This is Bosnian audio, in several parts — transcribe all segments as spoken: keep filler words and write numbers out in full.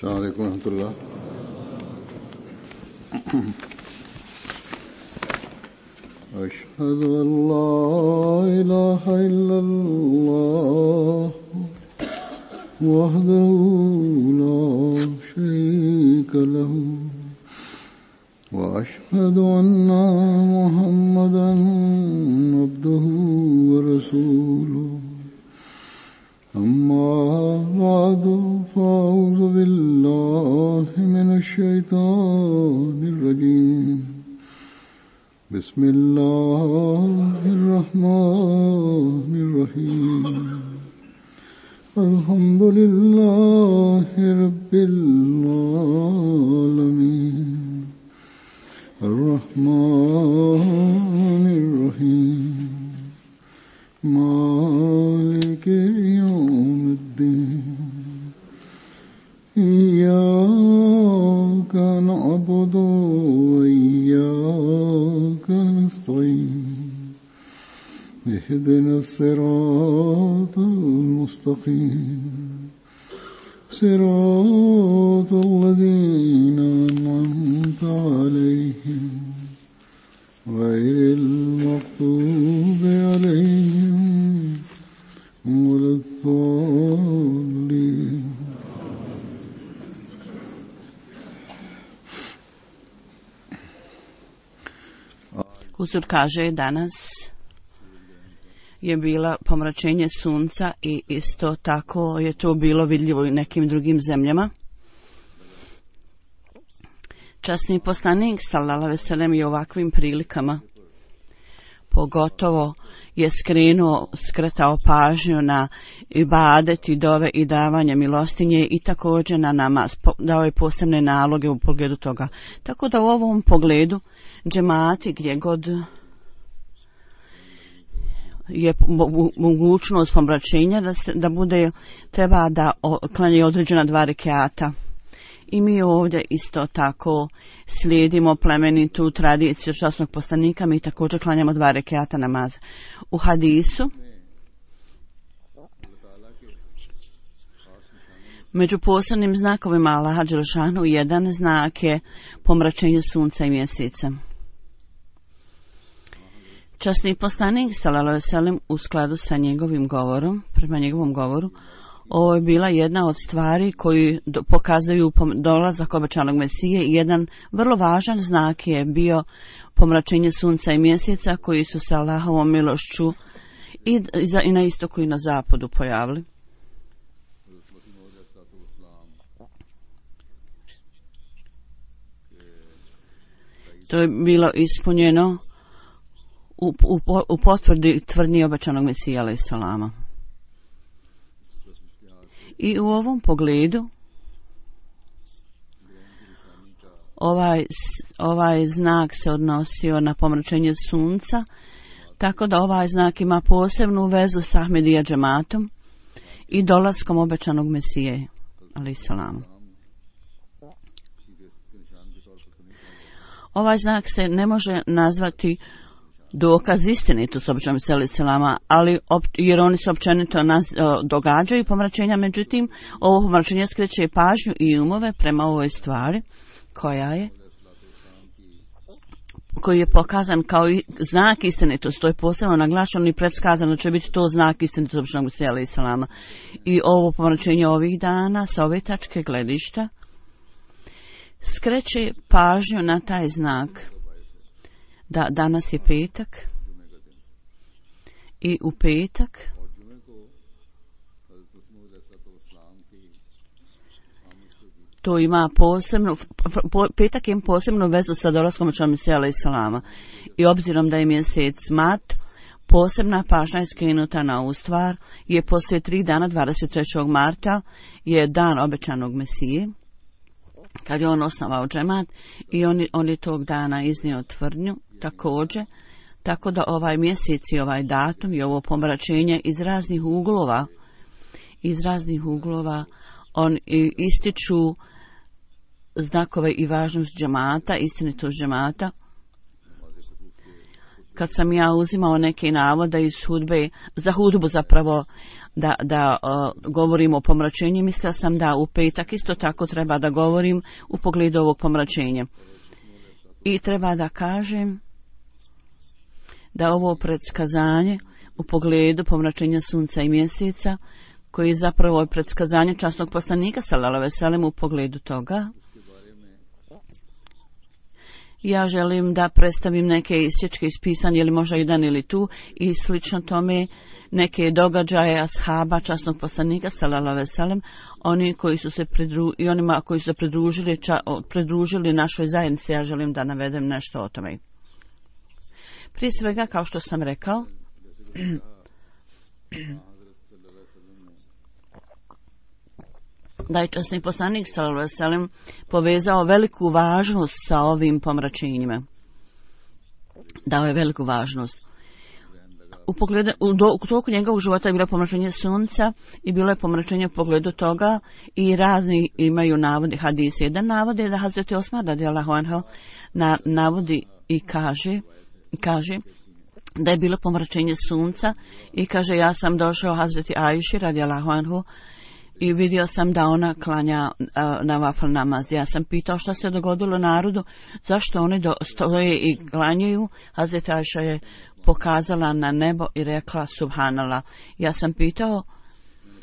السلام عليكم ورحمة الله. أشهد أن لا إله إلا الله وحده لا شريك له وأشهد أن محمدا عبده ورسوله. أما بعد فأعوذ بالله من الشيطان الرجيم. بسم الله الرحمن الرحيم. الحمد لله رب العالمين الرحمن الرحيم مالك يوم الدين. إياك نعبد وإياك نستعين. اهدنا الصراط المستقيم صراط الذين أنعمت عليهم غير المغضوب عليهم ولا الضالين. Huzur kaže danas je bila pomračenje sunca i isto tako je to bilo vidljivo i nekim drugim zemljama. Časni poslanik sallallahu alejhi ve sellem je u ovakvim prilikama pogotovo je skrenuo, skretao pažnju na ibadet i dove i davanje milostinje i također na namaz, dao je posebne naloge u pogledu toga. Tako da u ovom pogledu džemati gdje god je mogućnost pomračenja da, se, da bude, treba da klanje određena dva rekiata. I mi ovdje isto tako slijedimo plemenitu tradiciju časnog poslanika, mi također klanjamo dva rekiata namaza. U hadisu među posebnim znakovima Allaha dželešanu jedan znak je pomračenje sunca i mjeseca. Časni poslanik sallallahu alejhi ve sellem u skladu sa njegovim govorom, prema njegovom govoru, ovo je bila jedna od stvari koji do, pokazuju dolazak obećanog Mesije i jedan vrlo važan znak je bio pomračenje sunca i mjeseca koji su se Allahovom milošću i, i, za, i na istoku i na zapadu pojavili. To je bilo ispunjeno u, u, u potvrdi tvrdnji obećanog Mesija alejhi selama. I u ovom pogledu ovaj, ovaj znak se odnosio na pomračenje sunca, tako da ovaj znak ima posebnu vezu s Ahmedija džematom i dolaskom obećanog Mesije alejhi selam. Ovaj znak se ne može nazvati dokaz istinitosti obećanog Mesije alejhi selama, ali op, jer oni se općenito naz, o, događaju pomračenja, međutim ovo pomračenje skreće pažnju i umove prema ovoj stvari koja je koji je pokazan kao i znak istinitosti. To je posebno naglašeno i predskazano će biti to znak istinitosti obećanog Mesije alejhi selama. I ovo pomračenje ovih dana sa ove tačke gledišta skreće pažnju na taj znak da danas je petak i u petak to ima posebno, petak ima posebnu vezu sa dolaskom obećanog Mesija alejhi selama i obzirom da je mjesec mart, posebna pažnja je skrenuta na ovu stvar, je poslije tri dana dvadeset trećeg marta je dan obećanog Mesije, kad je on osnovao džemat i on, on je tog dana iznio tvrdnju također, tako da ovaj mjesec i ovaj datum i ovo pomračenje iz raznih uglova, iz raznih uglova on ističu znakove i važnost džemata, istinitost džemata, kad sam ja uzimao neke navode iz hudbe, za hudbu zapravo, da, da uh, govorim o pomračenju, mislila sam da u petak isto tako treba da govorim u pogledu ovog pomračenja. I treba da kažem da ovo predskazanje u pogledu pomračenja sunca i mjeseca, koji je zapravo predskazanje časnog poslanika sallallahu alejhi ve sellem u pogledu toga, ja želim da predstavim neke isječke iz pisanja, ili možda jedan ili tu, i slično tome neke događaje ashaba časnog poslanika sallallahu alejhi ve sellem, oni koji su se pridru, i onima koji su se pridružili, ča, pridružili našoj zajednici. Ja želim da navedem nešto o tome. Prije svega, kao što sam rekao, da je časni poslanik sallallahu alejhi ve sellem povezao veliku važnost sa ovim pomračenjima. Dao je veliku važnost. U pogledu, u, do, u toku njegovog života je bilo pomračenje sunca i bilo je pomračenje u pogledu toga i razni imaju navodi hadise. Jedan navod je da Hazreti Osman radijallahu anhu na, navodi i kaže, kaže da je bilo pomračenje sunca i kaže, ja sam došao Hazreti Ajši radijallahu anhu i vidio sam da ona klanja uh, na vafl namaz. Ja sam pitao šta se dogodilo narodu, zašto oni do, stoje i klanjaju. Hazreti Ajša je pokazala na nebo i rekla subhanallah. Ja sam pitao,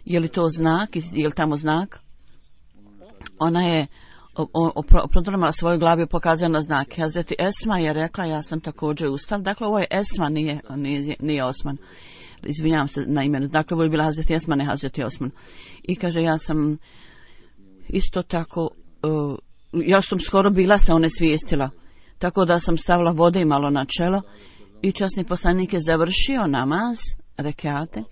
je li to znak, je li tamo znak? Ona je oprodrmala svoju glavu i pokazala na znak. Hazreti Esma je rekla, ja sam također ustal. Dakle, ovo je Esma, nije, nije, nije Osman. Izvinjavam se na imenu. Dakle, ovo je bila Hazreti Esma, ne Hazreti Osman. I kaže, ja sam isto tako, uh, ja sam skoro bila se one svijestila. Tako da sam stavila vode i malo na čelo. I časni poslanik je završio namaz, rekate,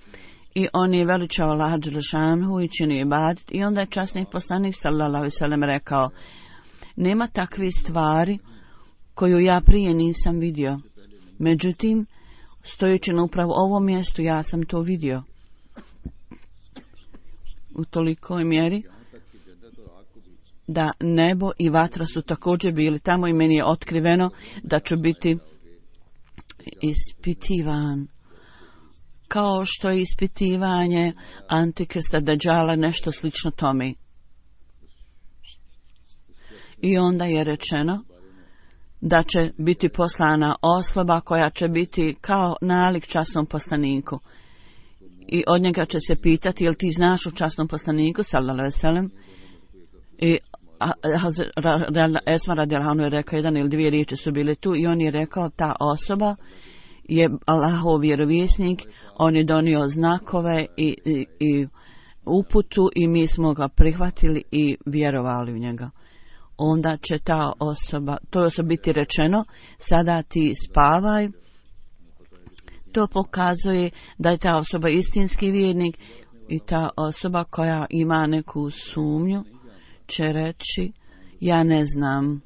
i on je veličao Allaha dželešanhu i činio ibadet. I onda je časni poslanik sallallahu alejhi ve sellem rekao, nema takve stvari koju ja prije nisam vidio. Međutim, stojeći na upravo ovom mjestu, ja sam to vidio. U tolikoj mjeri da nebo i vatra su također bili tamo i meni je otkriveno da ću biti ispitivan. Kao što je ispitivanje Antikrista Dajjala, nešto slično tome. I onda je rečeno da će biti poslana osoba koja će biti kao nalik časnom poslaniku. I od njega će se pitati, jel ti znaš o časnom poslaniku, sallallahu alejhi ve sellem? I Esma radijallahu anhu je rekao, jedan ili dvije riječi su bile tu i on je rekao, ta osoba je Allahov vjerovjesnik, on je donio znakove i, i, i uputu i mi smo ga prihvatili i vjerovali u njega. Onda će ta osoba, to je biti rečeno, sada ti spavaj. To pokazuje da je ta osoba istinski vjernik i ta osoba koja ima neku sumnju će reći, ja ne znam,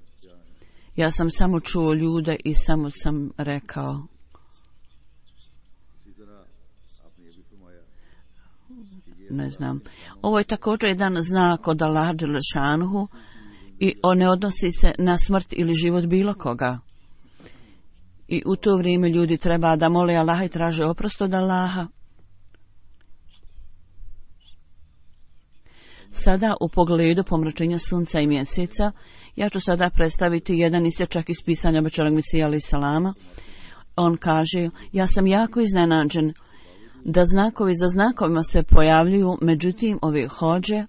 ja sam samo čuo ljude i samo sam rekao. Ne znam. Ovo je također jedan znak od Allaha dželešanhu i on ne odnosi se na smrt ili život bilo koga. I u to vrijeme ljudi treba da mole Allaha i traže oprost od Allaha. Sada u pogledu pomračenja sunca i mjeseca, ja ću sada predstaviti jedan isječak iz pisanja obećanog Mesija alejhi salama. On kaže, ja sam jako iznenađen da znakovi za znakovima se pojavljuju, međutim ovi hođe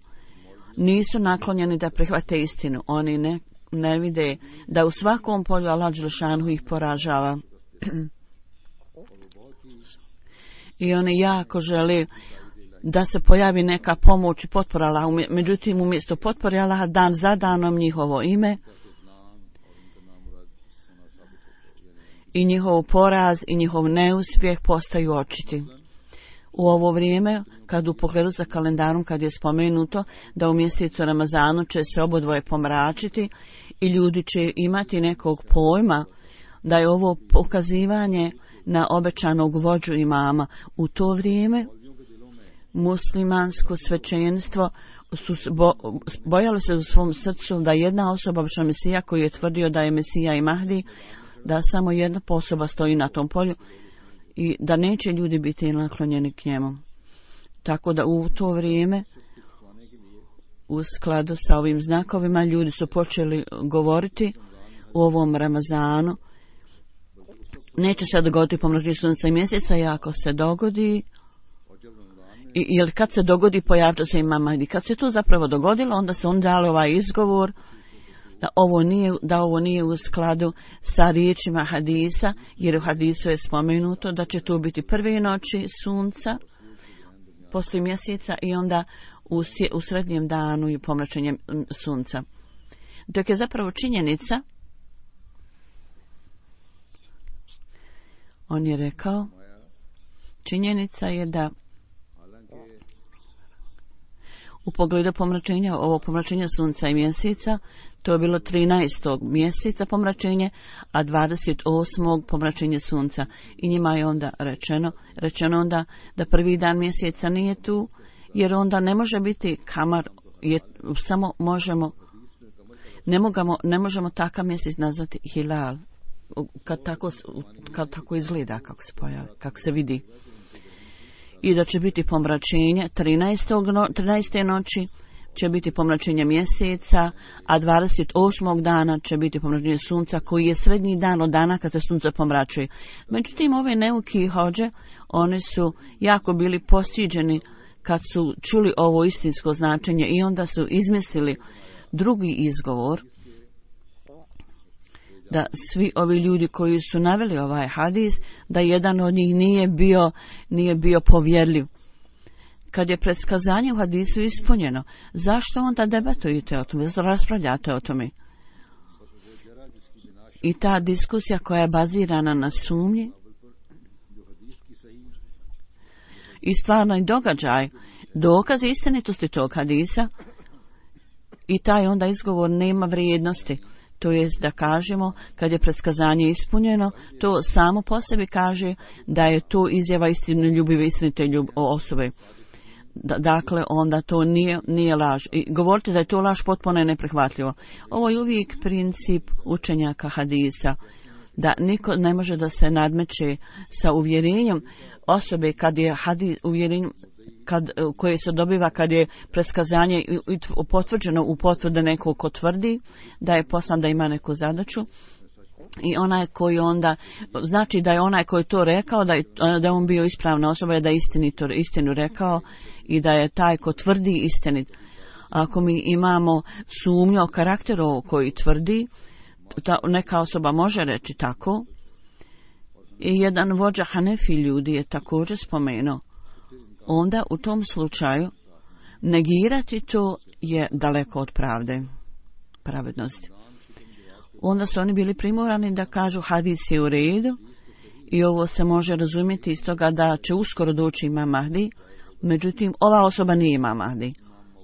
nisu naklonjeni da prihvate istinu. Oni ne, ne vide da u svakom polju Allah dželešanhu ih poražava. I oni jako žele da se pojavi neka pomoć i potpora Allaha. Međutim, umjesto potpore Allaha dan za danom njihovo ime i njihov poraz i njihov neuspjeh postaju očiti. U ovo vrijeme, kad u pogledu za kalendarom, kad je spomenuto da u mjesecu Ramazanu će se obodvoje pomračiti i ljudi će imati nekog pojma da je ovo pokazivanje na obećanog vođu imama. U to vrijeme muslimansko svećenstvo su bo, bojali se u svom srcu da jedna osoba, obično Mesija, koji je tvrdio da je Mesija i Mahdi, da samo jedna osoba stoji na tom polju i da neće ljudi biti naklonjeni k njemu. Tako da u to vrijeme, u skladu sa ovim znakovima, ljudi su počeli govoriti u ovom Ramazanu. Neće se dogoditi pomračenje sunca i mjeseca, i ako se dogodi, i, jer kad se dogodi pojavio se Imam Mahdi. Kad se to zapravo dogodilo, onda se on dali ovaj izgovor da ovo nije, da ovo nije u skladu sa riječima hadisa, jer u hadisu je spomenuto da će to biti prve noći sunca, poslije mjeseca i onda u, u srednjem danu i pomračenje sunca. Dok je zapravo činjenica, on je rekao, činjenica je da u pogledu pomračenja, ovo pomračenje sunca i mjeseca, to je bilo trinaestog mjeseca pomračenje, a dvadeset osmog pomračenje sunca. I njima je onda rečeno, rečeno onda da prvi dan mjeseca nije tu, jer onda ne može biti kamar, je, samo možemo, ne, mogamo, ne možemo takav mjesec nazvati hilal, kad tako, kad tako izgleda, kako se pojavi, kako se vidi. I da će biti pomračenje trinaeste noći će biti pomračenje mjeseca, a dvadeset osmog dana će biti pomračenje sunca, koji je srednji dan od dana kad se sunce pomračuje. Međutim, ove neuki hođe, one su jako bili postiđeni kad su čuli ovo istinsko značenje i onda su izmislili drugi izgovor, da svi ovi ljudi koji su naveli ovaj hadis, da jedan od njih nije bio, nije bio povjerljiv. Kad je predskazanje u hadisu ispunjeno, zašto onda debatujete o tome, zašto raspravljate o tome? I ta diskusija koja je bazirana na sumnji i stvarni događaj, dokaz istinitosti tog hadisa, i taj onda izgovor nema vrijednosti. To jest da kažemo, kad je predskazanje ispunjeno, to samo po sebi kaže da je to izjava istinoljubive, istinite ljub, osobe. Da, dakle, onda to nije, nije laž. I govorite da je to laž potpuno je neprihvatljivo. Ovo je uvijek princip učenjaka hadisa, da niko ne može da se nadmeće sa uvjerenjem osobe kad je hadis, uvjerenjem kad, koje se dobiva kad je predskazanje potvrđeno u potvrde nekog ko tvrdi da je poslan da ima neku zadaću, i onaj koji onda, znači da je onaj koji to rekao, da je, da je on bio ispravna osoba, da je istinito, istinu rekao i da je taj ko tvrdi istinit. Ako mi imamo sumnju o karakteru koji tvrdi, ta neka osoba može reći tako. I jedan vođa Hanefi ljudi je također spomenuo, onda u tom slučaju negirati to je daleko od pravde, pravednosti. Onda su oni bili primorani da kažu hadis je u redu i ovo se može razumjeti iz toga da će uskoro doći Imam Mahdi, međutim ova osoba nije Imam Mahdi,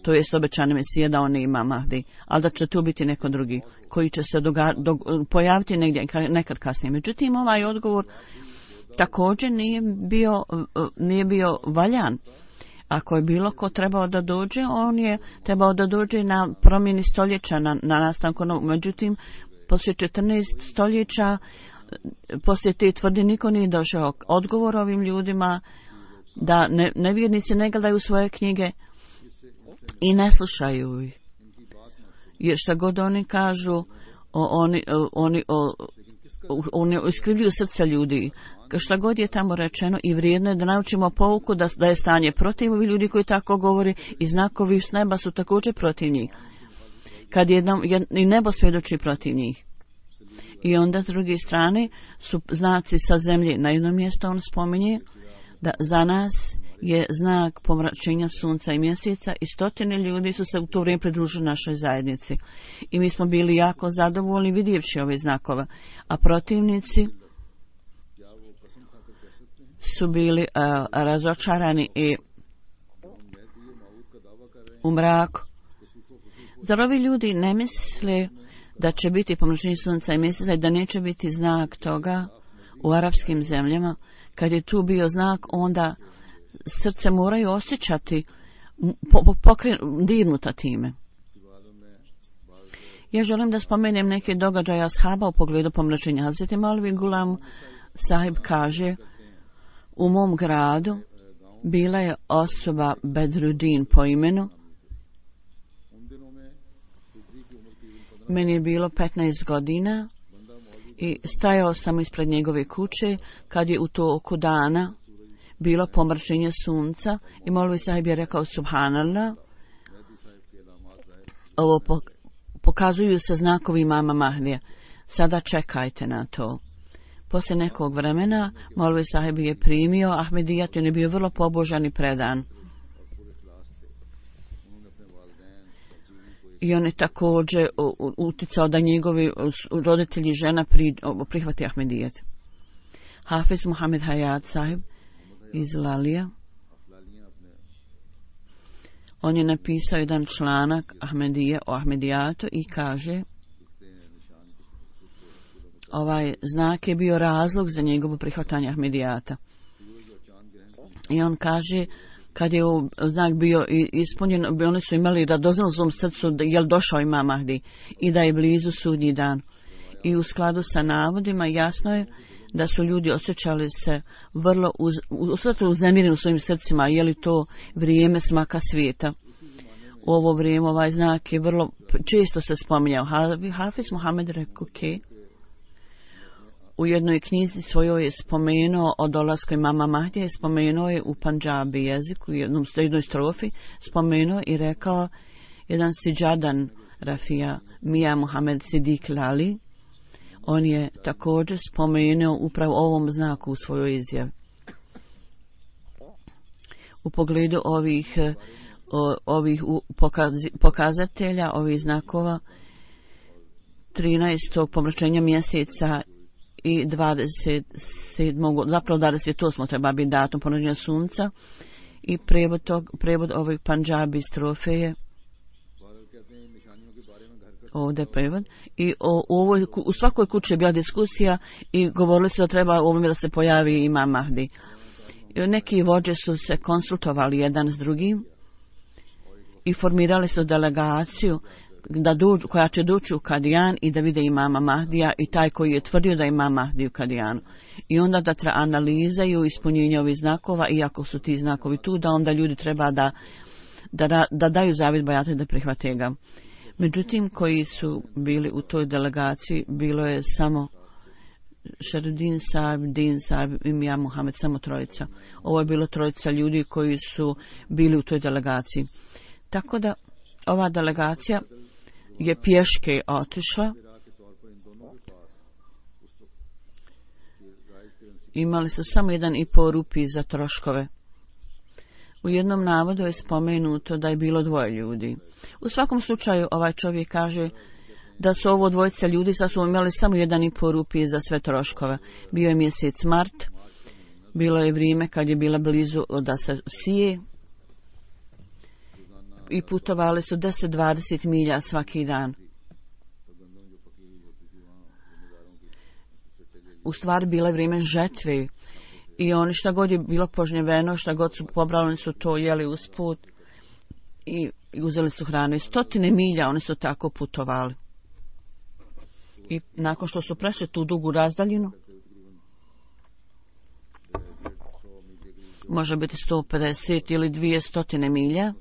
to jest obećani Mesija da on nije Imam Mahdi, ali da će tu biti neko drugi koji će se doga, do, pojaviti negdje nekad kasnije. Međutim ovaj odgovor također nije bio, nije bio valjan. Ako je bilo ko trebao da dođe, on je trebao da dođe na promjeni stoljeća, na, na nastanku novog. Međutim, poslije četrnaest stoljeća, poslije te tvrdi niko nije došao. Odgovor ovim ljudima da ne, nevjernici ne gledaju svoje knjige i ne slušaju ih. Jer šta god oni kažu, o, oni, o, oni, o, oni iskrivljuju srca ljudi. Šta god je tamo rečeno, i vrijedno je da naučimo pouku da, da je stanje protiv ovih ljudi koji tako govori, i znakovi s neba su također protiv njih. Kad jednom, jed, i nebo svjedoči protiv njih. I onda s druge strane su znaci sa zemlje. Na jednom mjestu on spominje da za nas je znak pomračenja sunca i mjeseca, i stotine ljudi su se u to vrijeme pridružili našoj zajednici. I mi smo bili jako zadovoljni vidjevši ove znakove. A protivnici su bili uh, razočarani i u mraku. Zar ovi ljudi ne misle da će biti pomračenje sunca i mjeseca i da neće biti znak toga u arapskim zemljama? Kad je tu bio znak, onda srce moraju osjećati po, po, pokren, dirnuta time. Ja želim da spomenem neke događaje ashaba u pogledu pomračenja. Hazreti Maulvi Gulam Sahib kaže, u mom gradu bila je osoba Bedruddin po imenu. Meni je bilo petnaest godina i stajao sam ispred njegove kuće kad je u toku dana bilo pomračenje sunca i Maulvi Sahib je rekao subhanallah. Ovo pokazuju se znakovi imama Mahdija. Sada čekajte na to. Poslije nekog vremena Maulvi Sahib je primio Ahmedijat i on je bio vrlo pobožan i predan. I on je također uticao da njegovi roditelji i žena prihvati Ahmedijat. Hafiz Muhammed Hayat Sahib iz Lalija, on je napisao jedan članak Ahmedije o Ahmedijatu i kaže, ovaj znak je bio razlog za njegovo prihvatanje Ahmedijata. I on kaže, kad je znak bio ispunjen, oni su imali radoznal u svom srcu da je došao imam Mahdi i da je blizu sudnji dan. I u skladu sa navodima jasno je da su ljudi osjećali se vrlo uz, uznemireni u svojim srcima, je li to vrijeme smaka svijeta. U ovo vrijeme ovaj znak je vrlo često se spominjao. Hafiz Muhammed rekao, okay. U jednoj knjizi svojoj je spomenuo o dolasku imama Mahdija i spomenuo je u Pandžabi jeziku, u jednom, jednoj strofi, spomenuo i rekao jedan Siđadan Rafija Mija Muhammed Sidik Lali. On je također spomenuo upravo ovom znaku u svojoj izjavi. U pogledu ovih, o, ovih pokazi, pokazatelja, ovih znakova, trinaestog pomračenja mjeseca i dvadeset sedmog zapravo dvadeset osmog treba biti datum pomračenja sunca i prevod, tog, prevod ovih Pandžabi strofe je ovdje prevod. I o, u, ovoj, u svakoj kući je bila diskusija i govorili su da treba ovome da se pojavi imam Mahdi. I neki vođe su se konsultovali jedan s drugim i formirali su delegaciju da dođu, koja će doći u Kadijan i da vide imama Mahdija i taj koji je tvrdio da ima Mahdi u Kadijanu. I onda da tra analizaju ispunjenje ovih znakova, iako su ti znakovi tu, da onda ljudi treba da, da, da daju zavid bajatu i da prihvate ga. Međutim, koji su bili u toj delegaciji, bilo je samo Šerudin Sahib, Din Sahib i Mija Muhammed, samo trojica. Ovo je bilo trojica ljudi koji su bili u toj delegaciji. Tako da ova delegacija je pješke otišla. Imali su samo jedan i pol rupi za troškove. U jednom navodu je spomenuto da je bilo dvoje ljudi. U svakom slučaju ovaj čovjek kaže da su ovo dvojica ljudi, sad su imali samo jedan i pol rupi za sve troškove. Bio je mjesec mart, bilo je vrijeme kad je bila blizu da se sije i putovali su deset do dvadeset milja svaki dan. U stvari bilo je vrijeme žetve i oni šta god je bilo požnjeveno, šta god su pobrali, oni su to jeli usput i uzeli su hranu. I stotine milja oni su tako putovali. I nakon što su prešli tu dugu razdaljinu, može biti sto pedeset ili dvjesto milja,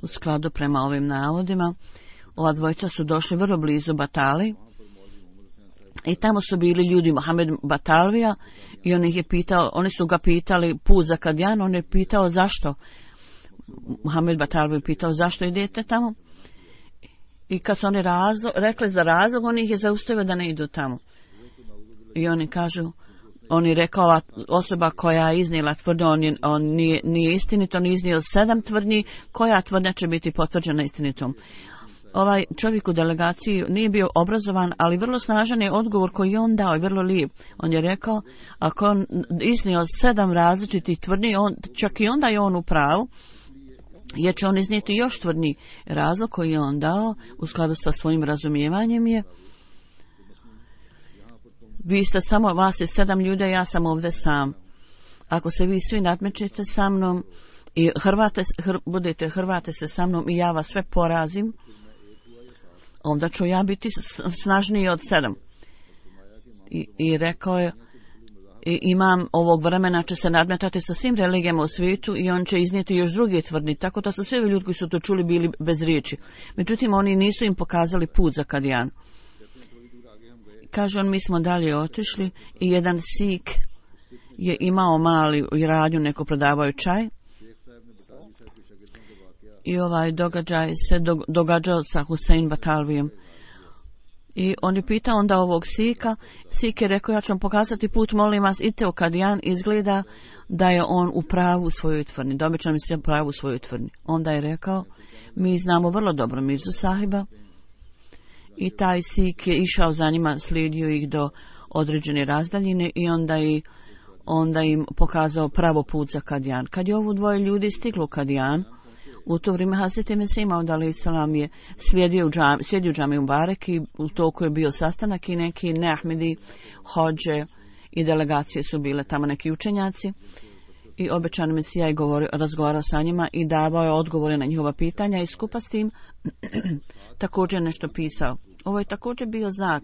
u skladu prema ovim navodima, ova dvojica su došli vrlo blizu Batali i tamo su bili ljudi Mohamed Batalvija i on ih je pitao, oni su ga pitali put za Kadijan, on je pitao zašto. Mohamed Batalvija je pitao zašto idete tamo i kad su oni razlog, rekli za razlog, on ih je zaustavio da ne idu tamo. I oni kažu, on je rekao, ova osoba koja je iznijela tvrdnju, on, je, on nije, nije istinit, on je iznio sedam tvrdnji, koja tvrdnja će biti potvrđena istinitom. Ovaj čovjek u delegaciji nije bio obrazovan, ali vrlo snažan je odgovor koji je on dao i vrlo lijep. On je rekao, ako on iznio sedam različitih tvrdnji, on, čak i onda je on u pravu, jer će on iznijeti još tvrdnji. Razlog koji je on dao u skladu sa svojim razumijevanjem je, vi ste samo, vas je sedam ljudi, ja sam ovdje sam. Ako se vi svi nadmećete sa mnom i hrvate, hr, budete hrvate se sa mnom i ja vas sve porazim, onda ću ja biti snažniji od sedam. I, i rekao je, i imam ovog vremena će se nadmetati sa svim religijama u svijetu i on će iznijeti još drugi tvrdni, tako da su svi ljudi koji su to čuli bili bez riječi. Međutim, oni nisu im pokazali put za Kadijan. Kaže on, mi smo dalje otišli i jedan Sik je imao mali radnju, neko prodavao čaj. I ovaj događaj se događao sa Husein Batalvijem. I on je pitao onda ovog Sika, Sik je rekao, ja ću vam pokazati put, molim vas, idite u Kadijan, izgleda da je on u pravu u svojoj tvrdnji, da obično mi se u pravu u svojoj tvrdnji. Onda je rekao, mi znamo vrlo dobro Mirzu sahiba, i taj Sik je išao za njima, slijedio ih do određene razdaljine i onda, i, onda im pokazao pravo put za Kadijan. Kad je ovo dvoje ljudi stiglo u Kadijan, u to vrijeme Hazreti Mesih Maud alejhi selam je sjedio u džami, sjedio u džami Mubarek i u toku je bio sastanak i neki neahmedi, hođe i delegacije su bile tamo, neki učenjaci, i obećani Mesija je govorio, razgovarao sa njima i davao je odgovore na njihova pitanja i skupa s tim također nešto pisao. Ovo je također bio znak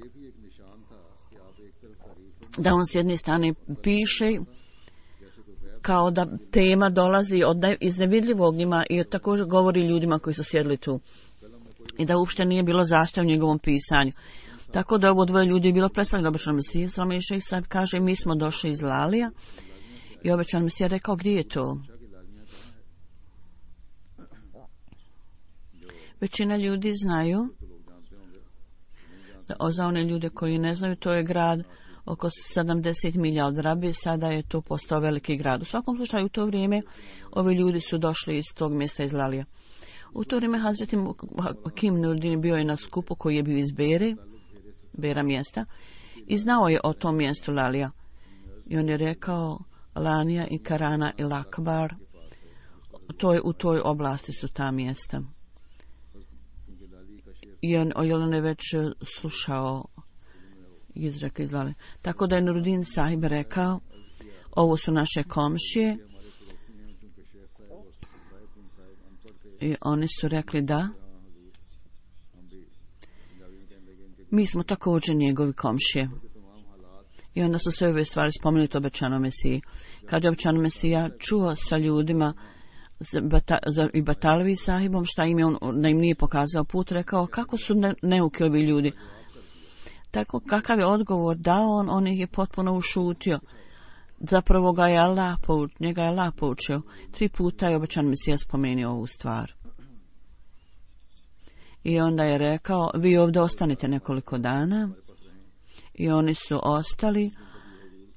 da on s jedne strane piše kao da tema dolazi od iz nevidljivog njima i također govori ljudima koji su sjedli tu. I da uopšte nije bilo zastav u njegovom pisanju. Tako da ovo dvoje ljudi je bilo predstavljeno obećanom Mesiji. Salama i šejh sahib kaže, mi smo došli iz Lalija i obećan Mesija rekao, gdje je to? Većina ljudi znaju, da za one ljude koji ne znaju, to je grad oko sedamdeset milja od Rabije, sada je to postao veliki grad. U svakom slučaju u to vrijeme ovi ljudi su došli iz tog mjesta iz Lalija. U to vrijeme Hazreti Hakim Nurdin bio je na skupu koji je bio iz Bere, Bera mjesta, i znao je o tom mjestu Lalija. I on je rekao, Lanija i Karana i Lakbar, to je, u toj oblasti su ta mjesta. I on, on je već slušao izreke iz Lalija. Tako da je Nurdin sahib rekao, ovo su naše komšije, i oni su rekli da mi smo također njegovi komšije. I onda su sve ove stvari spomenute obećanom Mesiji. Kad je obećanom Mesija čuo sa ljudima i Batalvi sahibom šta im je on, da im nije pokazao put, rekao kako su ne, neuki ovi ljudi. Tako kakav je odgovor dao on, on ih je potpuno ušutio. Zapravo ga je Allah poučio, njega je Allah poučio. Tri puta je obećan Mesija spomenuo ovu stvar. I onda je rekao, vi ovdje ostanite nekoliko dana. I oni su ostali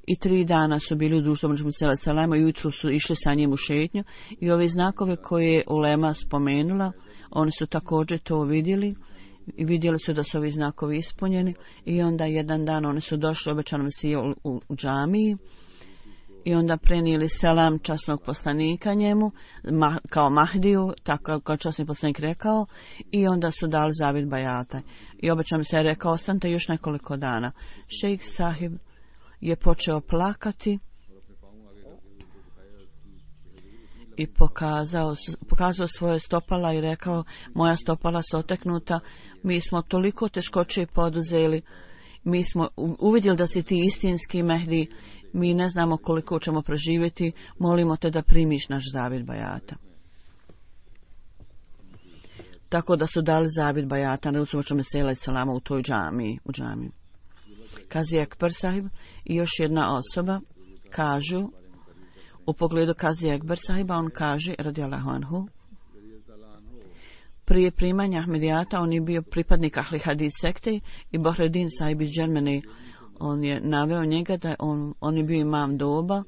i tri dana su bili u društvu Muhameda sallallahu alejhi ve sellem, i ujutro su išli sa njim u šetnju i ove znakove koje je ulema spomenula, oni su također to vidjeli i vidjeli su da su ovi znakovi ispunjeni. I onda jedan dan oni su došli obećanom Mesiji u, u, u džamiji i onda prenijeli selam časnog poslanika njemu ma, kao Mahdiju, tako kao časni poslanik rekao, i onda su dali zavjet bajata. I obećan se je rekao, ostanite još nekoliko dana. Šejh sahib je počeo plakati i pokazao, pokazao svoje stopala i rekao, moja stopala su oteknuta, mi smo toliko teškoće poduzeli, mi smo uvidjeli da si ti istinski Mehdi, mi ne znamo koliko ćemo preživjeti, molimo te da primiš naš zavjet bajata. Tako da su dali zavjet bajata na Rucu Muhameda sallallahu alejhi ve sellem u toj džamiji, u džamiji. Kazi Ekber sahib i još jedna osoba kažu, u pogledu Kazi Ekber sahiba, on kaže, radijallahu anhu, prije primanja Ahmedijata on je bio pripadnik Ahli Hadis sekte i Bahreddin sahib iz Džermene, on je naveo njega da on, on je bio imam doba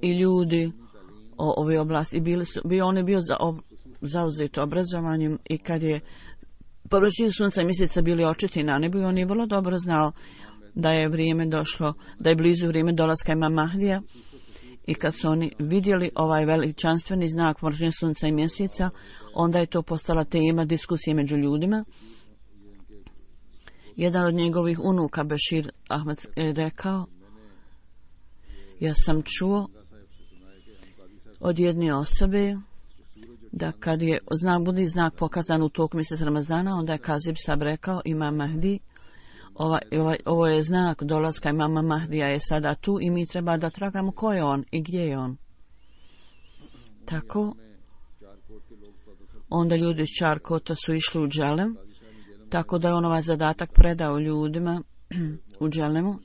i ljudi o ove oblasti, i bili su, bio, on je bio za, ob, zauzet obrazovanjem, i kad je povraćenje sunca i mjeseca bili očiti na nebu, on je vrlo dobro znao da je vrijeme došlo, da je blizu vrijeme dolaska imama Mahdija. I kad su oni vidjeli ovaj veličanstveni znak povraćenja sunca i mjeseca, onda je to postala tema diskusije među ljudima. Jedan od njegovih unuka, Bešir Ahmed, je rekao, ja sam čuo od jedne osobe da kad je znak, bude znak pokazan u toku mjeseca Ramazana, onda je Kazib Sab rekao, Imam Mahdi, ova, ova, ovo je znak dolaska imama Mahdija je sada tu i mi treba da tragamo ko je on i gdje je on. Tako, onda ljudi iz Čarkota su išli u Dželem, tako da je on ovaj zadatak predao ljudima u Dželemu.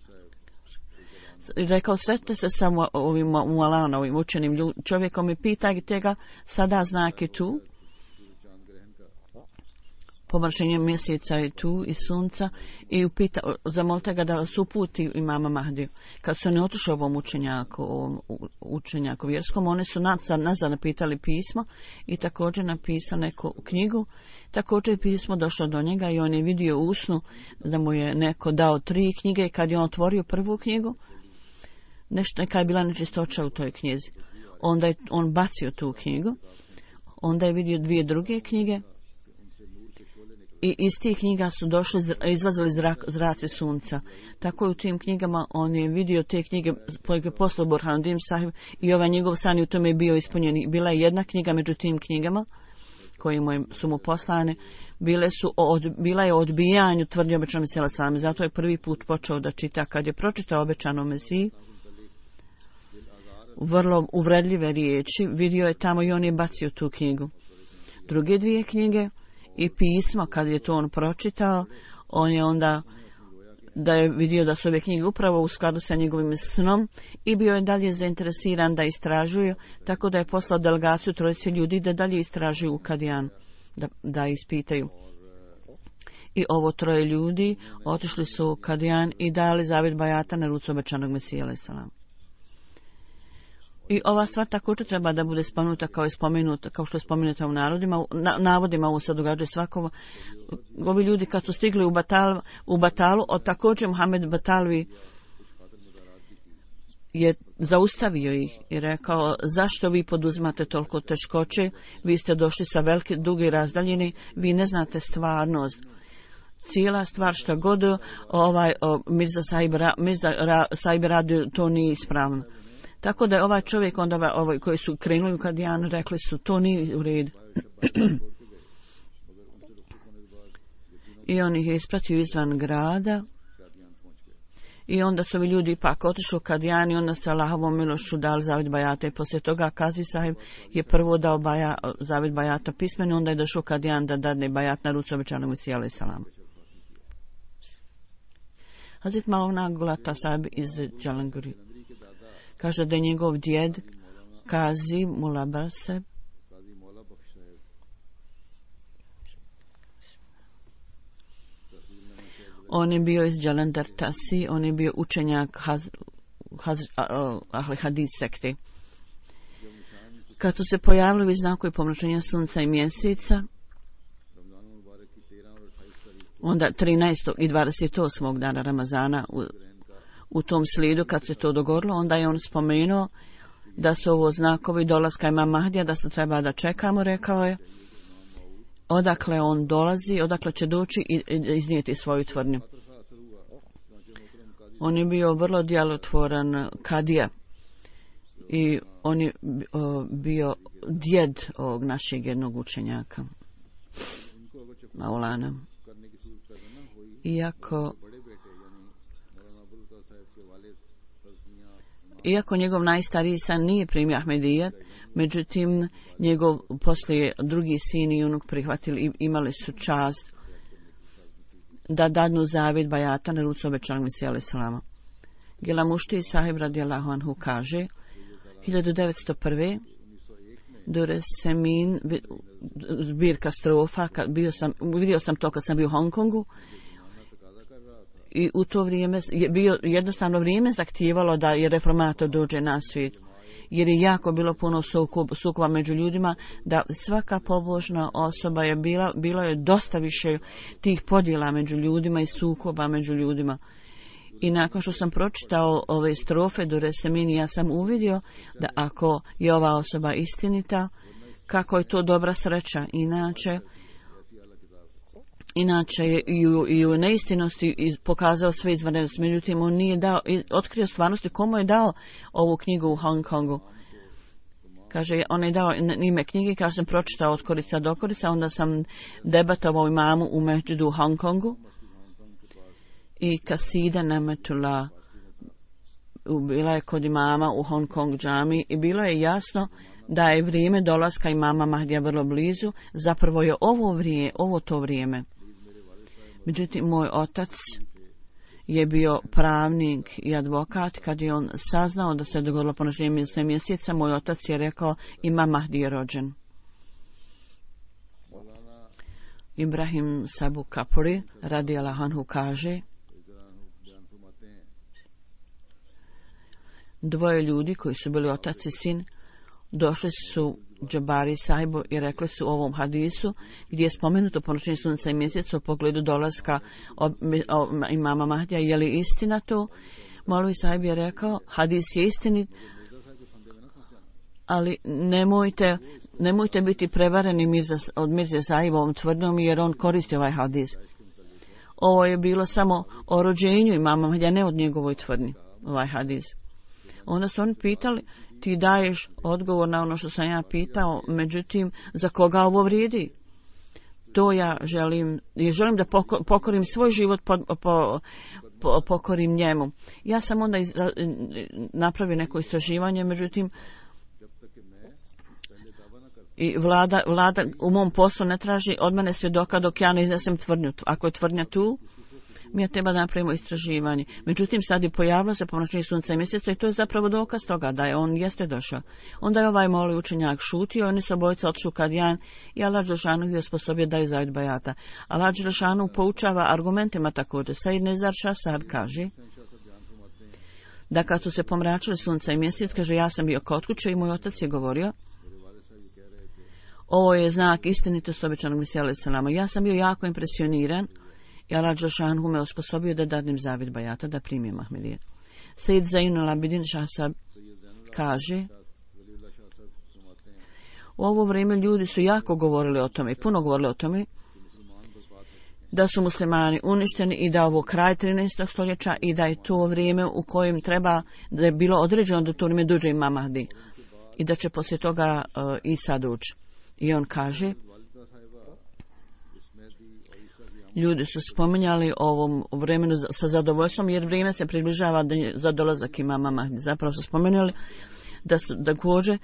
Rekao, sretite se sa ovim Mualana, ovim učenim ljud, čovjekom i pitajte ga, sada znak je tu, pomršenje mjeseca je tu i sunca i upita, zamolite ga da vas uputi imama Mahdiju. Kad su oni otišli ovom učenjaku, ovom učenjaku vjerskom, oni su nazad, nazad napitali pismo i također napisao neku knjigu. Također je pismo došlo do njega i on je vidio u snu da mu je neko dao tri knjige i kad je on otvorio prvu knjigu, nešto, neka je bila nečistoća u toj knjizi. Onda je on bacio tu knjigu, onda je vidio dvije druge knjige i iz tih knjiga su došli, izlazili zrak, zraci sunca. Tako je u tim knjigama on je vidio te knjige koje je poslao Burhanuddin Sahib i ovaj njegov san i u tome je bio ispunjen. Bila je jedna knjiga među tim knjigama koje mu je, su mu poslane, bile su od, bila je o odbijanju tvrdnje obećanog Mesija sallam. Zato je prvi put počeo da čita. Kad je pročitao obećano Mesiji, vrlo uvredljive riječi, vidio je tamo i on je bacio tu knjigu. Druge dvije knjige i pismo, kad je to on pročitao, on je onda da je vidio da su ove knjige upravo u skladu sa njegovim snom i bio je dalje zainteresiran da istražuje, tako da je poslao delegaciju trojice ljudi da dalje istražuju u Kadijan, da, da ispitaju. I ovo troje ljudi otišli su u Kadijan i dali zavjet bajata na rucu obećanog Mesija alejhi selam. I ova stvar također treba da bude spomenuta kao, je spomenuta, kao što je spomenuta u narodima, na, navodima ovo se događa svakovo. Ovi ljudi kad su stigli u, Batal, u Batalu, od također Muhammed Batalvi je zaustavio ih i rekao, zašto vi poduzimate toliko teškoće, vi ste došli sa velike, duge razdaljine, vi ne znate stvarnost. Cijela stvar što god ovaj, o, Mirza Sahib, Mirza Ra, Sahib radio, to nije ispravno. Tako da je ovaj čovjek onda ovaj, koji su krenuli u Kadijan rekli su to nije u redu. I on ih je ispratio izvan grada i onda su ovi ljudi ipak otišli u Kadijan i onda se Allahovom milošću dali zavjet bajata i poslije toga Kazi Sahib je prvo dao baja, zavjet bajata pismeni, onda je došao u Kadijan da dadne bajat na rucu obećanog Mesija alejhi selam. Hazret Maulana Gulata Sahib iz Džalanguri kaže da je njegov djed Kazi Mullah Bakhsh on je bio iz Jalandhar Tasi, on je bio učenjak haz, haz, Ahli Hadis sekte. Kad su se pojavili znakovi pomračenja sunca i mjeseca, onda trinaestog i dvadeset osmog dana Ramazana u U tom slijedu kad se to dogodilo, onda je on spomenuo da su ovo znakovi dolaska imama Mahdija, da se treba da čekamo, rekao je, odakle on dolazi, odakle će doći i iznijeti svoju tvrdnju. On je bio vrlo djelotvoran kadija i on je bio djed ovog našeg jednog učenjaka, Maulana. Iako Iako njegov najstariji san nije primio Ahmedijet, međutim njegov poslije drugi sin i unuk prihvatili i imali su čast da dadnu zavjet bajata na rucu obećanog Mesija alejhi selam. Gila Mušti Sahib radijallahu anhu kaže, hiljadu devetsto prve Dure Semin, zbirka strofa, kad bio sam, vidio sam to kad sam bio u Hong Kongu, i u to vrijeme je bio jednostavno vrijeme zahtijevalo da je reformator dođe na svijet, jer je jako bilo puno sukob, sukoba među ljudima, da svaka pobožna osoba je bila, bilo je dosta više tih podjela među ljudima i sukoba među ljudima. I nakon što sam pročitao ove strofe do Resemini, ja sam uvidio da ako je ova osoba istinita, kako je to dobra sreća. Inače, Inače je i u, i u neistinosti pokazao sve izvanrednosti. Međutim, on nije dao, otkrio stvarnosti komu je dao ovu knjigu u Hong Kongu. Kaže, on je dao ime knjige, kaže sam pročitao od korica do korica, onda sam debatovao imamu u Međidu u Hong Kongu i Kasida Nemetula bila je kod imama u Hong Kong džami i bilo je jasno da je vrijeme dolaska imama Mahdija vrlo blizu, zapravo je ovo vrijeme, ovo to vrijeme. Međutim, moj otac je bio pravnik i advokat. Kad je on saznao da se dogodilo ponošenje mjesec mjeseca, moj otac je rekao, imam Mahdi je rođen. Ibrahim Sabu Kapuri radi Allahanhu kaže, dvoje ljudi koji su bili otac i sin došli su Džabari sahibu i rekli su u ovom hadisu gdje je spomenuto ponošenje sunca i mjeseca u pogledu dolaska ob, ob, imama Mahdija, je li istina to? Molvi sahib je rekao, hadis je istinit, ali nemojte, nemojte biti prevareni Mirza, od Mirze sahibovom tvrdnjom jer on koristi ovaj hadis. Ovo je bilo samo o rođenju imama Mahdija, ne od njegovoj tvrdnji, ovaj hadis. Onda su oni pitali, ti daješ odgovor na ono što sam ja pitao, međutim, za koga ovo vrijedi? To ja želim, ja želim da pokorim svoj život, po, po, po, pokorim njemu. Ja sam onda iz, napravio neko istraživanje, međutim, i vlada, vlada u mom poslu ne traži od mene svjedoka dok ja ne iznesem tvrdnju. Ako je tvrdnja tu, mi je treba da napravimo istraživanje. Međutim, sad je pojavilo se ponošenje sunca i mjeseca i to je zapravo dokaz toga da je on jeste došao. Onda je ovaj moli učenjak šutio, oni su obojica otišli u Kadijan i Allah Đelešanu je osposobio daju zavid bajata. Allah Đelešanu poučava argumentima također. Said Nezar Šah Sahab kaže da kad su se pomračili sunca i mjesec, kaže, ja sam bio kod kuće i moj otac je govorio, ovo je znak istinitosti obećanog Mesija alejhi selama. Ja sam bio jako impresioniran i Allah Đelešanu me osposobio da dadnem zavid bajata, da primim Ahmedijet. Sejid Zainul Abidin Šah Sahab kaže, u ovo vrijeme ljudi su jako govorili o tome, puno govorili o tome, da su muslimani uništeni i da ovo kraj trinaestog stoljeća i da je to vrijeme u kojem treba, da je bilo određeno da to vrijeme dođe imam Mahdi i da će poslije toga uh, Isa doći. I on kaže, ljudi su spominjali ovom vremenu sa zadovoljstvom jer vrijeme se približava za dolazak imama Mahdi. Zapravo su spomenuli da su također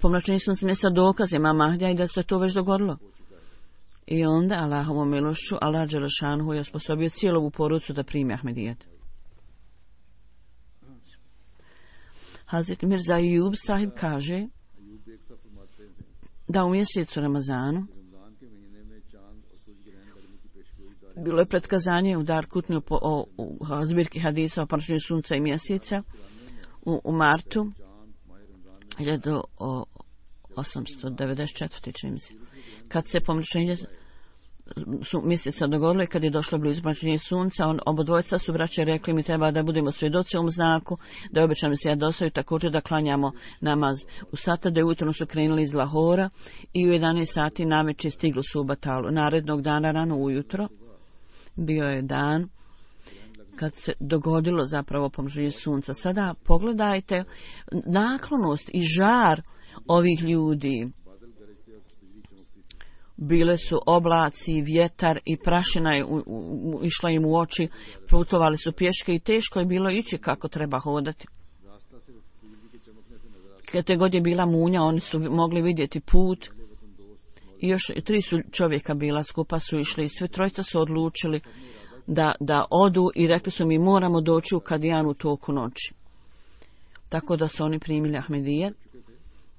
pomračenje sunca mjesta dokaz imama Mahdija i da se to već dogodilo. I onda Allahovom milošću Allah Đelešanu je osposobio cijelu ovu porodicu da primi Ahmedijet. Hazret Mirza Ayub sahib kaže da u mjesecu Ramazanu bilo je pretkazanje u Darkutni po, o, o zbirki hadisa o ponošenju sunca i mjeseca u, u martu hiljadu osamsto devedeset četvrte čini mi se. Kad se pomračenje su mjeseca dogodilo i kad je došlo blizu pomračenja sunca, on, obodvojca su braće rekli mi treba da budemo svjedoci ovom znaku, da je obećano se ja dostaju, također da klanjamo namaz u Satade. Ujutro su krenuli iz Lahora i u jedanaest sati navečer stigli su u Batalu. Narednog dana rano ujutro bio je dan kad se dogodilo zapravo pomračenje sunca. Sada pogledajte naklonost i žar ovih ljudi. Bile su oblaci, vjetar i prašina je u, u, išla im u oči, putovali su pješke i teško je bilo ići kako treba hodati. Kad te god je bila munja, oni su mogli vidjeti put i još tri su čovjeka bila, skupa su išli i sve trojica su odlučili da, da odu i rekli su mi moramo doći u Kadijan u toku noći. Tako da su oni primili Ahmedijet.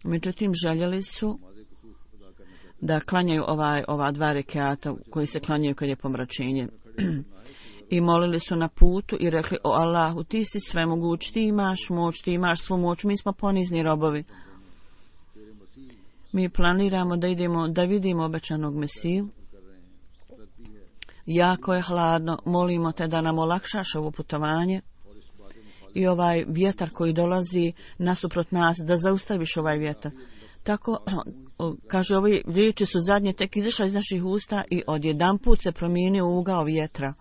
Međutim, željeli su da klanjaju ovaj, ova dva rekiata koji se klanjaju kad je pomračenje. I molili su na putu i rekli, o Allahu, ti si svemoguć, ti imaš moć, ti imaš svu moć, mi smo ponizni robovi. Mi planiramo da idemo, da vidimo obećanog Mesiju. Jako je hladno, molimo te da nam olakšaš ovo putovanje i ovaj vjetar koji dolazi nasuprot nas, da zaustaviš ovaj vjetar. Tako, kaže, ove riječi su zadnje tek izašle iz naših usta i odjedanput se promijenio ugao vjetra.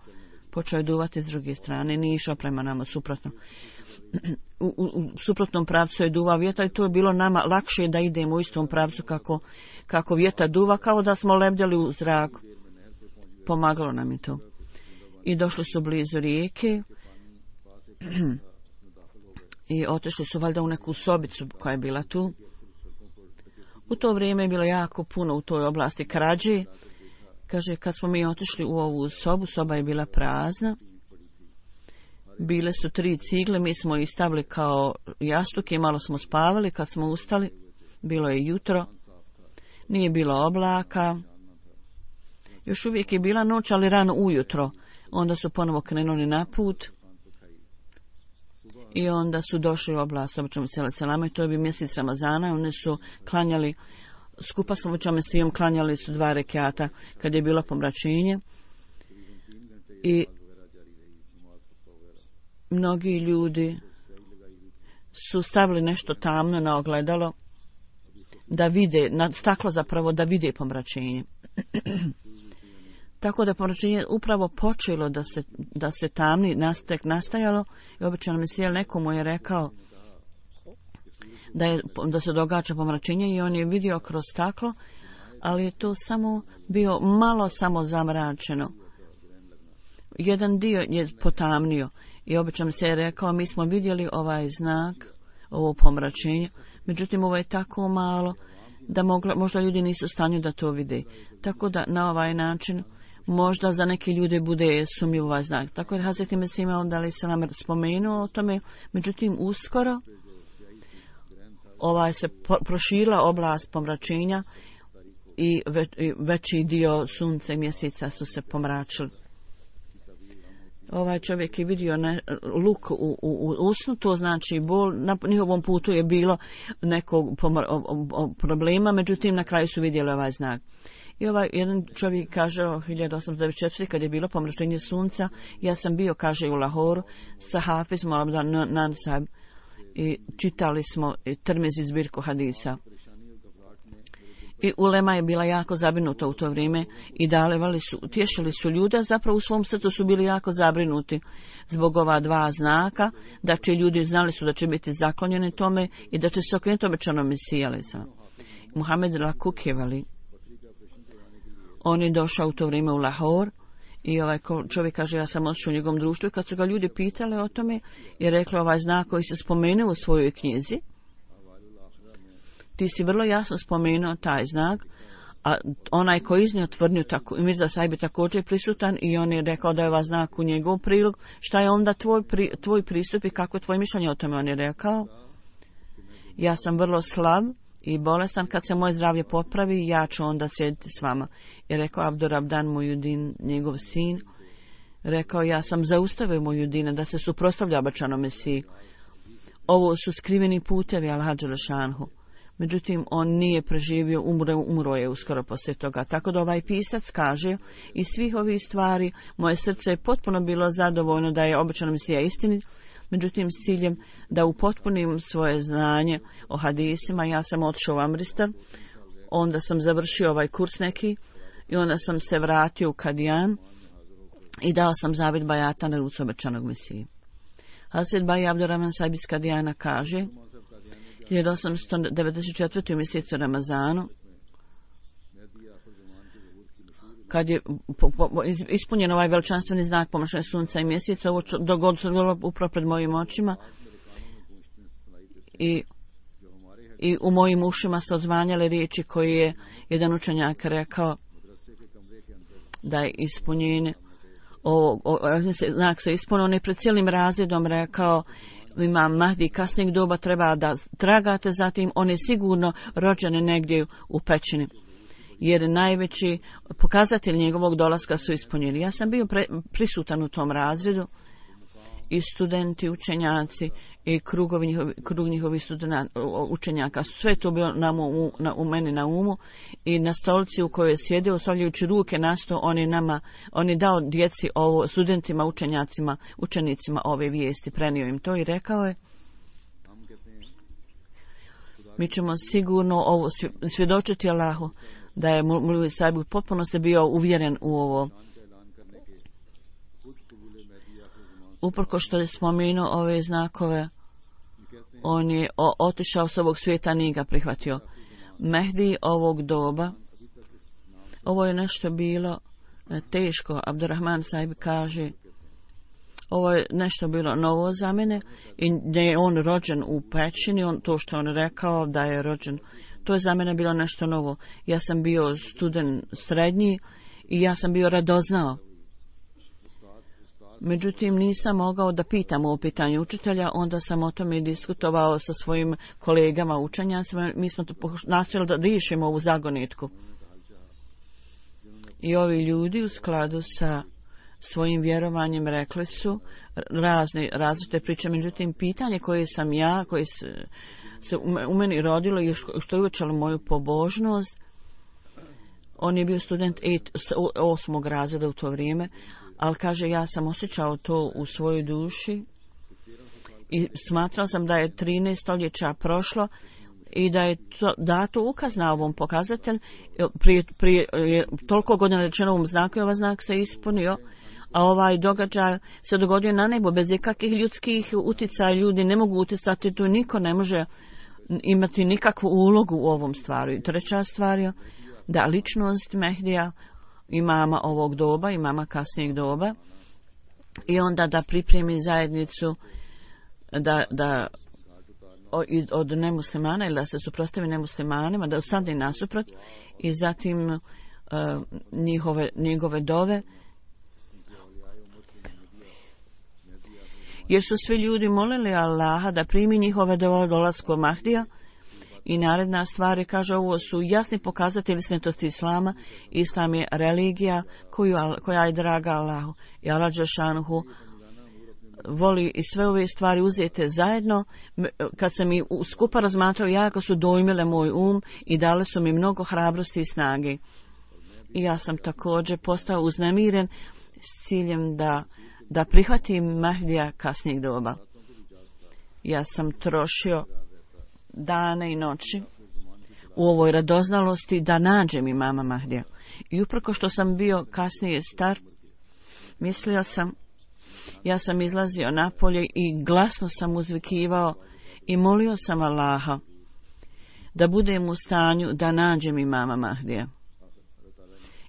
počeo je duvati s druge strane, nije išao prema nama suprotno. U, u, u suprotnom pravcu je duvao vjetar i to je bilo nama lakše da idemo u istom pravcu kako, kako vjetar duva, kao da smo lebdjeli u zraku. Pomagalo nam je to. I došli su blizu rijeke i otišli su valjda u neku sobicu koja je bila tu. U to vrijeme je bilo jako puno u toj oblasti krađe. Kaže, kad smo mi otišli u ovu sobu, soba je bila prazna. Bile su tri cigle, mi smo ih stavili kao jastuke i malo smo spavali. Kad smo ustali, bilo je jutro, nije bilo oblaka. Još uvijek je bila noć, ali rano ujutro. Onda su ponovo krenuli na put i onda su došli u oblast običnom selama i to je bio mjesec Ramazana. Oni su klanjali, skupa s običnom svijom klanjali su dva rekata kad je bilo pomračenje i mnogi ljudi su stavili nešto tamno na ogledalo da vide, na staklo zapravo da vide pomračenje. Tako da pomračenje upravo počelo da se, da se tamni nastek nastajalo i obično Mesija nekomu je rekao da, je, da se događa pomračenje i on je vidio kroz staklo, ali je to samo bio malo samo zamračeno. Jedan dio je potamnio i obično se je rekao mi smo vidjeli ovaj znak, ovo pomračenje, međutim ovo je tako malo da mogla, možda ljudi nisu u stanju da to vide. Tako da na ovaj način možda za neke ljude bude sumnjiv ovaj znak. Tako je Hazreti Mesih da li se nam spomenuo o tome, međutim uskoro ovaj se proširila oblast pomračenja i, ve, i veći dio sunca i mjeseca su se pomračili. Ovaj čovjek je vidio ne, luk u, u, u usnu, to znači bol, na njihovom putu je bilo nekog pomr, o, o, o problema, međutim na kraju su vidjeli ovaj znak. I ovaj jedan čovjek kaže o hiljadu osamsto devedeset četvrte. kad je bilo pomračenje sunca, ja sam bio, kaže, u Lahoru sa Hafizom Abdan Nansab i čitali smo Tirmizi zbirku hadisa. I ulema je bila jako zabrinuta u to vrijeme i dalevali su, tješili su ljude, zapravo u svom srcu su bili jako zabrinuti zbog ova dva znaka, da će ljudi znali su da će biti zaklonjeni tome i da će se okrenuti obećanom Mesiji. Muhammed Lakukjevali, on je došao u to vrijeme u Lahor i ovaj čovjek kaže ja sam otišao u njegovom društvu i kad su ga ljudi pitali o tome je rekla ovaj znak koji se spomenuo u svojoj knjizi. Ti si vrlo jasno spomenuo taj znak, a onaj koji iznio tvrdnju, tako, Mirza Sahib je također prisutan i on je rekao da je ovaj znak u njegov prilog. Šta je onda tvoj, pri, tvoj pristup i kako je tvoje mišljenje o tome? On je rekao, ja sam vrlo slab i bolestan, kad se moje zdravlje popravi, ja ću onda sjediti s vama. I rekao Abdur Abdan Mujudin, njegov sin, rekao, ja sam zaustavio Mujudina da se suprotstavlja obećanom Mesiji. Ovo su skriveni putevi Al-Hadža Lešanhu. Međutim, on nije preživio, umro, umro je uskoro poslije toga. Tako da ovaj pisac kaže, iz svih ovih stvari, moje srce je potpuno bilo zadovoljno da je obećana Mesija istinit, međutim, s ciljem da upotpunim svoje znanje o hadisima, ja sam otišao u Amristan, onda sam završio ovaj kurs neki i onda sam se vratio u Kadijan i dao sam zavjet bajata na rucu obećanog Mesije. Hazret Baj Abdurrahman Sahib iz Kadijana kaže, hiljadu osamsto devedeset četvrte. u mjesecu Ramazanu, kad je po, po, ispunjen ovaj veličanstveni znak pomračenja sunca i mjeseca, ovo dogodilo se upravo pred mojim očima i, i u mojim ušima se odzvanjale riječi koje je jedan učenjak rekao da je ispunjenje ovog, znak se ispunio, on je pred cijelim razredom rekao, Imam Mahdi kasnijeg doba treba da tragate za tim, on je sigurno rođen negdje u pećini, jer najveći pokazatelj njegovog dolaska su ispunjeni. Ja sam bio pre, prisutan u tom razredu i studenti, učenjaci i krugovi njihovi, krug njihovih studenata, učenjaka, sve to bilo na mu, na, u meni na umu i na stolici u kojoj je sjedio, ostavljajući ruke na sto, on je nama, on je dao djeci ovo, studentima, učenjacima, učenicima ove vijesti, prenio im to i rekao je, mi ćemo sigurno ovo svjedočiti Allahu da je Mulvi Sahib potpuno ste bio uvjeren u ovo. uprko što je spomenuo ove znakove, on je o, otišao s ovog svijeta, nije ga prihvatio. Mehdi ovog doba, ovo je nešto bilo teško. Abdurrahman Sahib kaže, ovo je nešto bilo novo za mene i da je on rođen u pećini, on, to što on rekao da je rođen, to je za mene bilo nešto novo. Ja sam bio student srednji i ja sam bio radoznao. Međutim, nisam mogao da pitam o pitanju učitelja, onda sam o tome diskutovao sa svojim kolegama učenjacima. Mi smo to nastojali da riješimo ovu zagonetku. I ovi ljudi u skladu sa svojim vjerovanjem rekli su razne različite priče. Međutim, pitanje koje sam ja, koje se, se u meni rodilo i što je uvećalo moju pobožnost, on je bio student osmog razreda u to vrijeme, ali kaže, ja sam osjećao to u svojoj duši i smatrao sam da je trinaest stoljeća prošlo i da je to, dato ukaz na ovom pokazatelj. Prije, prije toliko godina rečeno ovom znaku i ovaj znak se ispunio, a ovaj događaj se dogodio na nebu bez ikakvih ljudskih uticaja. Ljudi ne mogu uticati, tu niko ne može imati nikakvu ulogu u ovom stvaru. I treća stvar je da ličnost Mehdija, imama ovog doba, imama kasnijeg doba, i onda da pripremi zajednicu da, da od nemuslimana ili da se suprotstavi nemuslimanima, da ostane nasuprot, i zatim uh, njihove, njegove dove, jer su svi ljudi molili Allaha da primi njihove dove dolasku Mahdija. I naredna stvar je, kaže, ovo su jasni pokazatelji istinitosti Islama. Islam je religija koju, koja je draga Allahu. I Allah dželšanuhu voli i sve ove stvari uzete zajedno. Kad sam i skupa razmatrao, jako su dojmile moj um i dale su mi mnogo hrabrosti i snage. I ja sam također postao uznemiren s ciljem da, da prihvatim Mahdija kasnijeg doba. Ja sam trošio dane i noći u ovoj radoznalosti da nađem imama Mahdija. I uprko što sam bio kasnije star, mislio sam, ja sam izlazio napolje i glasno sam uzvikivao i molio sam Allaha da budem u stanju da nađem imama Mahdija.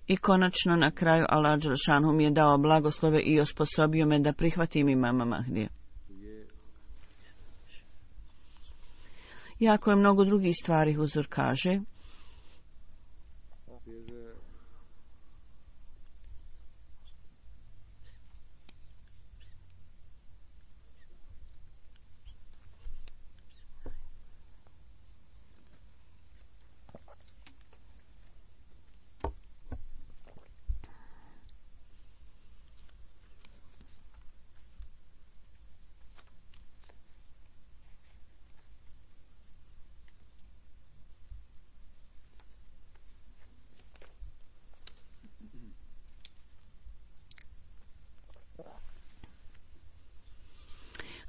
I konačno na kraju Allah dželešanu mi je dao blagoslove i osposobio me da prihvatim imama Mahdija. Jako je mnogo drugih stvari, Huzur kaže.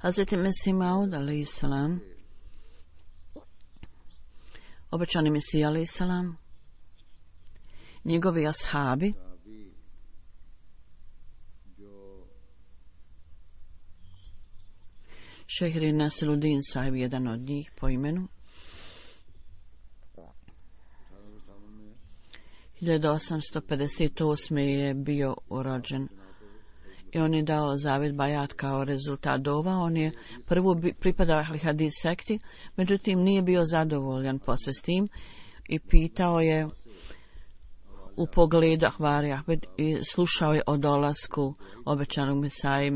Hazreti Mesih Maud, alejhi salam, obećani Mesija, alejhi salam, njegovi ashabi, Šejh Nasiruddin Sahib, jedan od njih po imenu, hiljadu osamsto pedeset osme je bio rođen. I on je dao zavjet bajat kao rezultat dova. On je prvo pripadao Ahli Hadis sekti, međutim nije bio zadovoljan posve s tim i pitao je u pogledu Ahvari Ahmed i slušao je o dolasku obećanog Mesaje.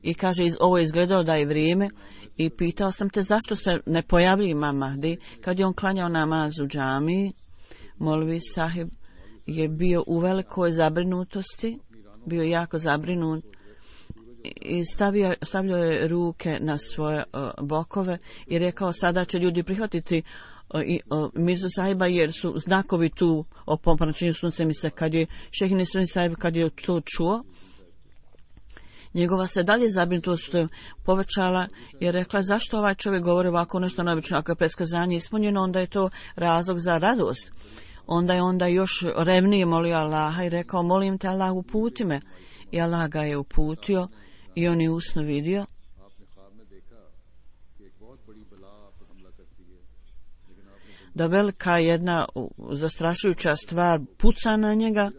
I kaže, ovo je izgledao da je vrijeme i pitao sam te zašto se ne pojavlji imam Mahdi. Kad je on klanjao namaz u džamiji, Molvi Sahib je bio u velikoj zabrinutosti, bio jako zabrinut i stavio, stavljao je ruke na svoje uh, bokove i rekao, sada će ljudi prihvatiti uh, i, uh, Mirzu Sahiba jer su znakovi tu o pomračenju sunce mi se. Kad je Šejh Nasiruddin Sahib kad je to čuo, njegova se dalje zabrinutost povećala i rekla, zašto ovaj čovjek govori ovako nešto neobično, ako je predskazanje ispunjeno, onda je to razlog za radost. Onda je onda još revnije molio Allaha i rekao, molim te Allah, uputi me. I Allah ga je uputio I on je usno vidio da velika jedna zastrašujuća stvar puca na njega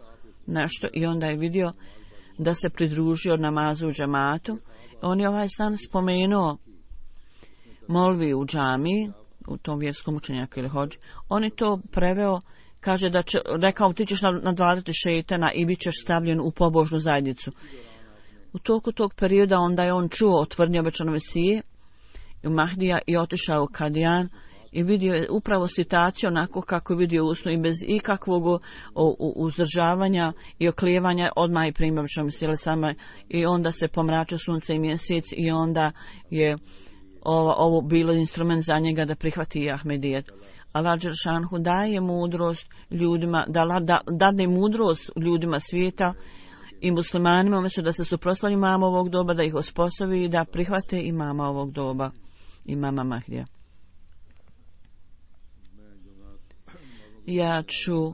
nešto i onda je vidio da se pridružio namazu u džamatu. On je ovaj san spomenuo molvi u džamiji, u tom vjerskom učenjaku ili hođi. On je to preveo, kaže da će, rekao ti ćeš nadvladati šejtana i bit ćeš stavljen u pobožnu zajednicu. U toku tog perioda onda je on čuo o tvrdnji obećanog Mesije i Mahdija i otišao u Kadijan i vidio je upravo situaciju onako kako je vidio usnu i bez ikakvog uzdržavanja i oklijevanja odmah je primio obećanog Mesije sama i onda se pomračio sunce i mjesec i onda je ovo, ovo bilo instrument za njega da prihvati Ahmedijet. Allah dželšanhu daje mudrost ljudima, da, da dadne mudrost ljudima svijeta i muslimanima umjesto da se suprotstavi imama ovog doba, da ih osposobi i da prihvate imama ovog doba, imama Mahdija. Ja ću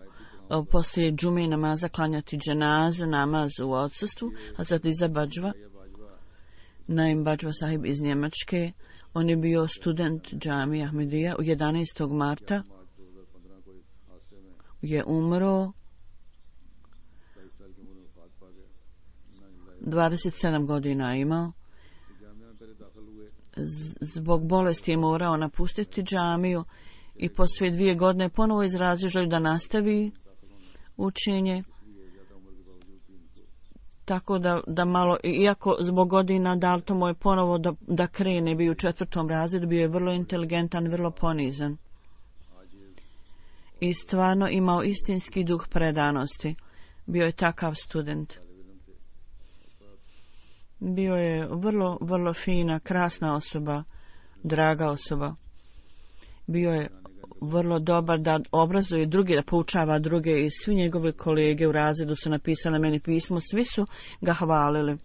poslije džume namaza klanjati dženazu, namaz u odsustvu, a sad Iza Badžva, Naim Badžva sahib iz Njemačke. On je bio student džamije Ahmedija. U jedanaestog marta je umro, dvadeset sedam godina imao. Zbog bolesti je morao napustiti džamiju i poslije dvije godine ponovo izrazio želju da nastavi učenje. Tako da, da malo, iako zbog godina dal to mu je ponovo da, da krene, bio u četvrtom razredu, bio je vrlo inteligentan, vrlo ponizan. I stvarno imao istinski duh predanosti. Bio je takav student. Bio je vrlo, vrlo fina, krasna osoba, draga osoba. Bio je vrlo dobar da obrazuje druge, da poučava druge i svi njegove kolege u razredu su napisali meni pismo, svi su ga hvalili.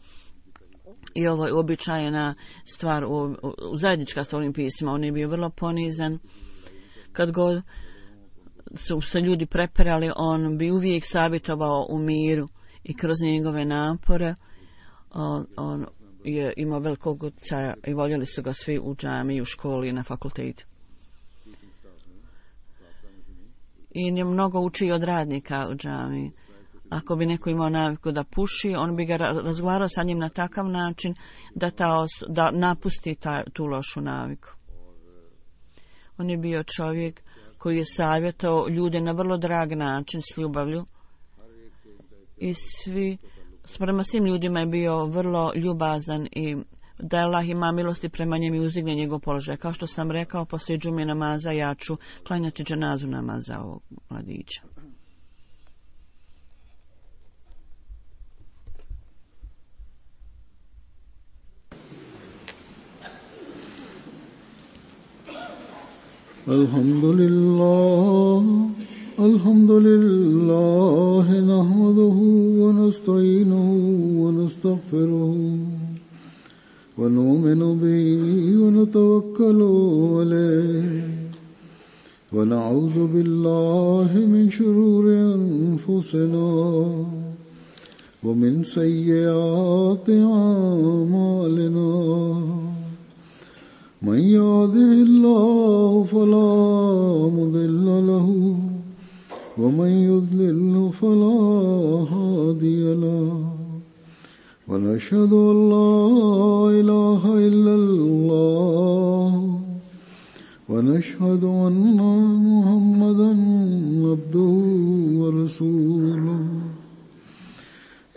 I ovo je uobičajena stvar, u, u, u zajednička s ovim pismima. On je bio vrlo ponizan. Kad god su se ljudi preperali, on bi uvijek savjetovao u miru i kroz njegove napore on, on je imao velikog utjecaja i voljeli su ga svi u džamiji, u školi i na fakultetu. I je mnogo učio od radnika u džamiji. Ako bi neko imao naviku da puši, on bi ga razgovarao sa njim na takav način da, ta os- da napusti ta, tu lošu naviku. On je bio čovjek koji je savjetao ljude na vrlo drag način s ljubavlju. I svi, prema svim ljudima je bio vrlo ljubazan i da Allah ima milosti prema njemu i uzdigne njegov položaj. Kao što sam rekao, poslije džume namaza ja ću klanjati dženazu namaza ovog mladića. Alhamdulillah, alhamdulillah, nahmaduhu wa nasta'inuhu wa nastaghfiruhu. ونؤمن به ونتوكل عليه ونعوذ بالله من شرور أنفسنا ومن سيئات أعمالنا من يهده الله فلا مضل له ومن يضلل فلا هادي له ونشهد أن لا إله إلا الله ونشهد أن محمدا عبده ورسوله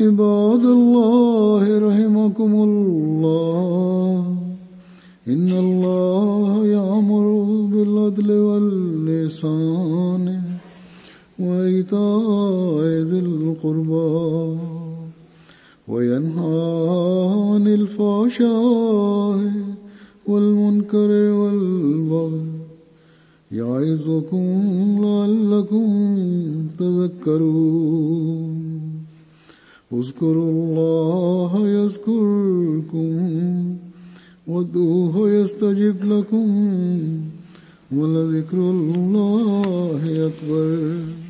عباد الله رحمكم الله إن الله يأمر بالعدل والإحسان وإيتاء ذي القربى وينهى عن الفحشاء والمنكر والبغي يعظكم لعلكم تذكرون اذكروا الله يذكركم وادعوه يستجب لكم ولذكر الله أكبر.